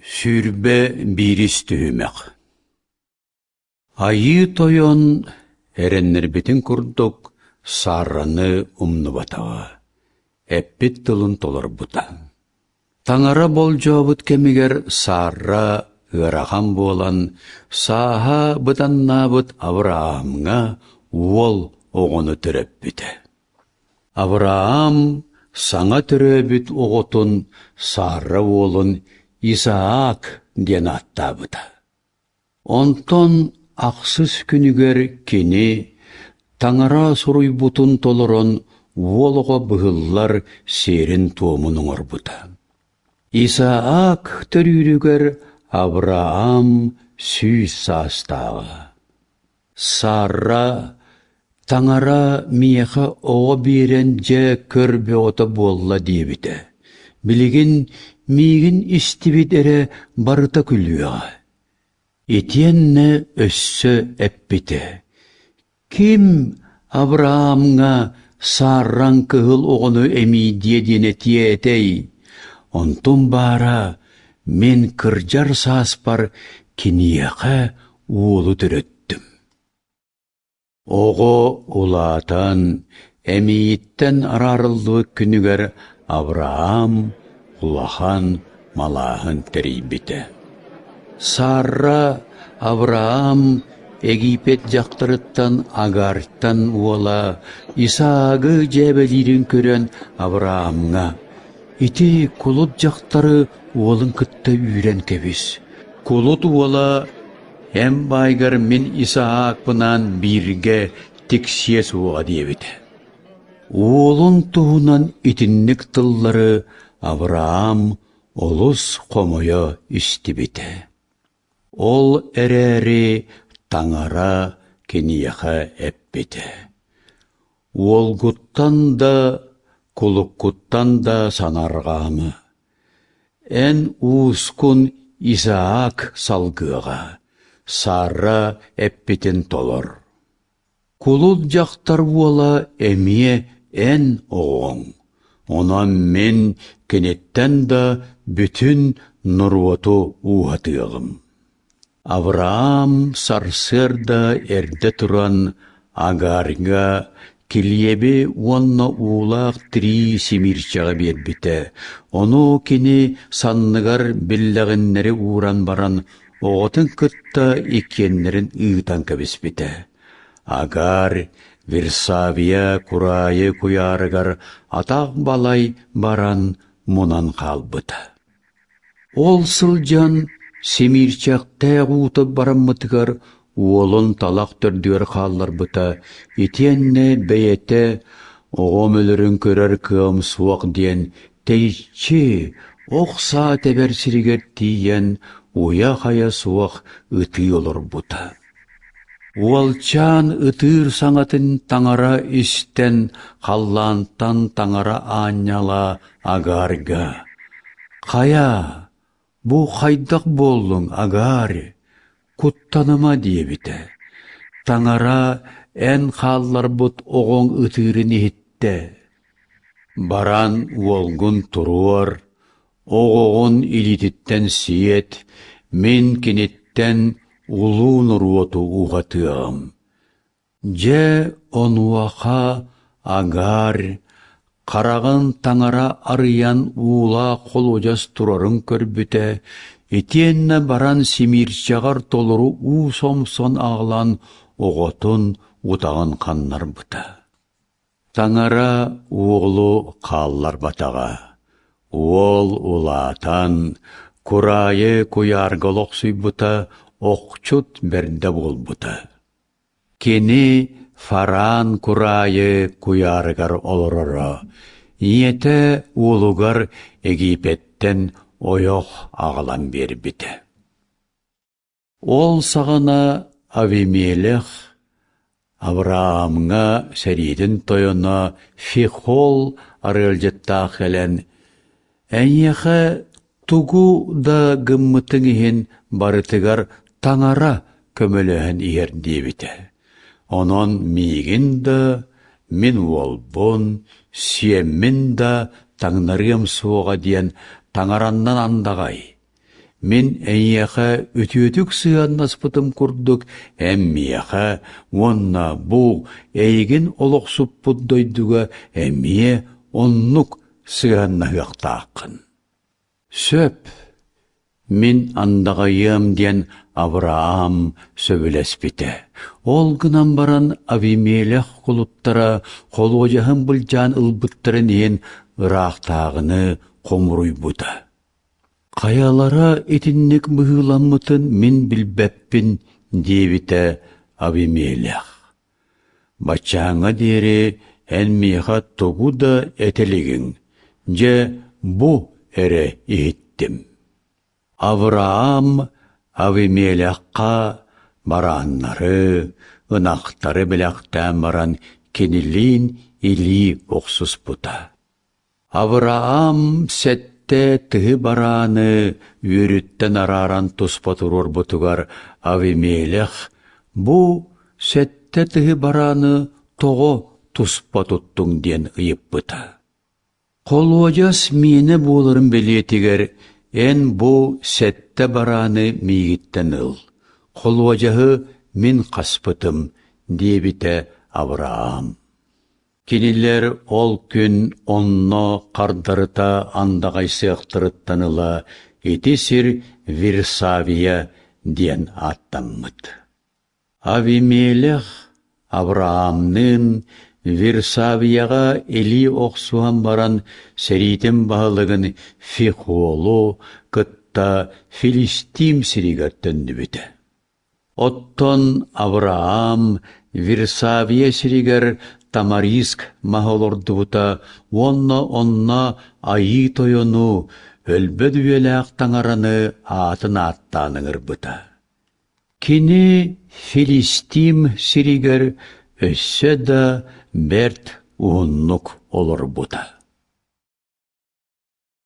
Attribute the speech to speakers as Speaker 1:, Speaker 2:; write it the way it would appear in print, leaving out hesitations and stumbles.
Speaker 1: 21 түһүмэх Айыы Тойон эрэннэрбитин курдук Сарраны умнубатаҕа, эппит тылын толорбута. Таҥара болдьообут кэмигэр Сарра ыарахан буолан, сааһа быданнаабыт Авраамҥа уол оҕону төрөппүтэ. Авраам саҥа төрөөбүт оҕотун Сарра уолун Исаак диэн ааттаабыта. Онтон ахсыс күнүгэр кини Таҥара суруйбутун толорон уол оҕо быһыллар сиэрин-туомун оҥорбута. Исаак төрүүрүгэр Авраам 100 саастааҕа. Сарра «Таҥара миэхэ оҕо биэрэн дьэ көр бөҕөтө буолла» диэбитэ. Билигин миигин истибит эрэ барыта күлүөҕэ. Итиэннэ өссө эппитэ: «Ким Авраамҥа Сарраҥ кыһыл оҕону эмиийдиэ диэн этиэ этэй? Онтум баара мин кырдьар сааспар киниэхэ уолу төрөттүм. Оҕо улаатан, эмиийиттэн араарыллыбыт күнүгэр Авраам улахан малааһын тэрийбитэ. Сарра Авраам Египет дьахтарыттан Агартан уола Исаагы дьээбэлиирин көрөн Авраамҥа «Ити кулут дьахтары уолун кытта үүрэн кэбис. Кулут уола эн баайгар мин Исаакпынаан бииргэ тиксиэ суоҕа» диэбитэ. Уолун туһунан итинник тыллары Авраам олус хомойо истибитэ. Ол эрээри Таҥара киниэхэ эппитэ: «Уолгуттан да, кулуккуттан да санаарҕаама. Эн уускун Исаак салгыаҕа, Сарра эппитин толор. Кулут дьахтар уола эмиэ эн оҕоҥ, онон мин киниттэн да бүтүн норуоту ууһатыаҕым». Авраам сарсыарда эрдэ туран Агарьга килиэби уонна уулаах тирии симиирчэҕи биэрбитэ, ону кини санныгар биллэҕиннэри ууран баран оҕотун кытта иккиэннэрин ыытан кэбиспитэ. Агаар Версавия кураайы куйаарыгар атах балай баран мунан хаалбыта. Ол сылдьан симиирчэхтээх уута бараммытыгар уолун талах төрдүгэр хаалларбыта итиэннэ бэйэтэ оҕом өлөрүн көрөр кыам суох диэн тэйиччи ох саа тэбэр сиригэр тиийэн уйа-хайа суох ытыы олорбута. Уолчаан ытыыр саҥатын таҥара истэн халлаантан таҥара аанньала Агарга: «Хайа, бу хайдах буоллуҥ, Агарь? Куттаныма» диэбитэ. Таҥара эн хаалларбыт оҕоҥ ытыырын иһиттэ. Баран уолгун туруор, оҕоҕун илиититтэн сиэт, мин киниттэн улуу норуоту уҕатыаҕым. Дьэ онуоха Агарь хараҕын таҥара арыйан уулаах холуодьас турарын көрбүтэ, итиэннэ баран симиирчэҕэр толору уу сомсон аҕалан оҕотун утаҕын ханнарбыта. Таҥара уолу хаалларбатаҕа. Уол улаатан, кураайы куйаарга олохсуйбута, охчут бэрдэ буолбута. Кини Фараан кураайы куйаарыгар олороро, ийэтэ уолугар Египеттэн ойох аҕалан биэрбитэ. Ол саҕана Авимелех Авраамҥа сэриитин тойоно Фихол арыалдьыттаах кэлэн, «Эйиэхэ тугу да гыммытыҥ иһин барытыгар Таҥара көмөлөһөн иһэр» диэбитэ. Онон миигин да, мин уолбун, сиэммин да таҥнарыам суоҕа диэн Таҥараннан андаҕай. Мин эйиэхэ үтүөтүк сыһыаннаспытым курдук эн миэхэ уонна бу эйигин олохсуппут дойдуга эмиэ оннук сыһыаннаһыахтааххын. Сөп, мин андаҕайыам диэн Авраам сөбүлэспитэ. Ол гынан баран Авимелех кулуттара холуодьаһын былдьаан ылбыттарын иһин ыраахтааҕыны хомуруйбута. Хайалара итинник быһыыламмытын мин билбэппин, диэбитэ Авимелех. Баччааҥҥа диэри эн миэхэ тугу да этэ илигиҥ, дьэ бу эрэ иһиттим. Авраам Авимелехха барааннары, ынахтары бэлэхтээн баран кинилиин илии охсуспута. Авраам сэттэ тыһы барааны үөрүттэн арааран туспа туруорбутугар Авимелех бу сэттэ тыһы барааны тоҕо туспа туттуҥ диэн ыйыппыта. Холуодьас миэнэ буоларын бэлиэтигэр эн бу сэттэ барааны миигиттэн ыл, холуодьаһы мин хаспытым, диэбитэ Авраам. Кинилэр ол күн онно хардарыта андаҕайсыахтарыттан ыла ити сир Вирсавия диэн ааттаммыт. Авимелех Авраамныын Вирсавияҕа илии охсуһан баран сэриитин баһылыгын Фихолу кытта Филистим сиригэр төннүбүтэ. Оттон Авраам Вирсавия сиригэр тамариск маһы олордубута уонна онно Айыы Тойону, өлбөт үйэлээх Таҥараны аатын ааттаан ыҥырбыта. Кини Филистим сиригэр өссө да бэрт уһуннук олорбута.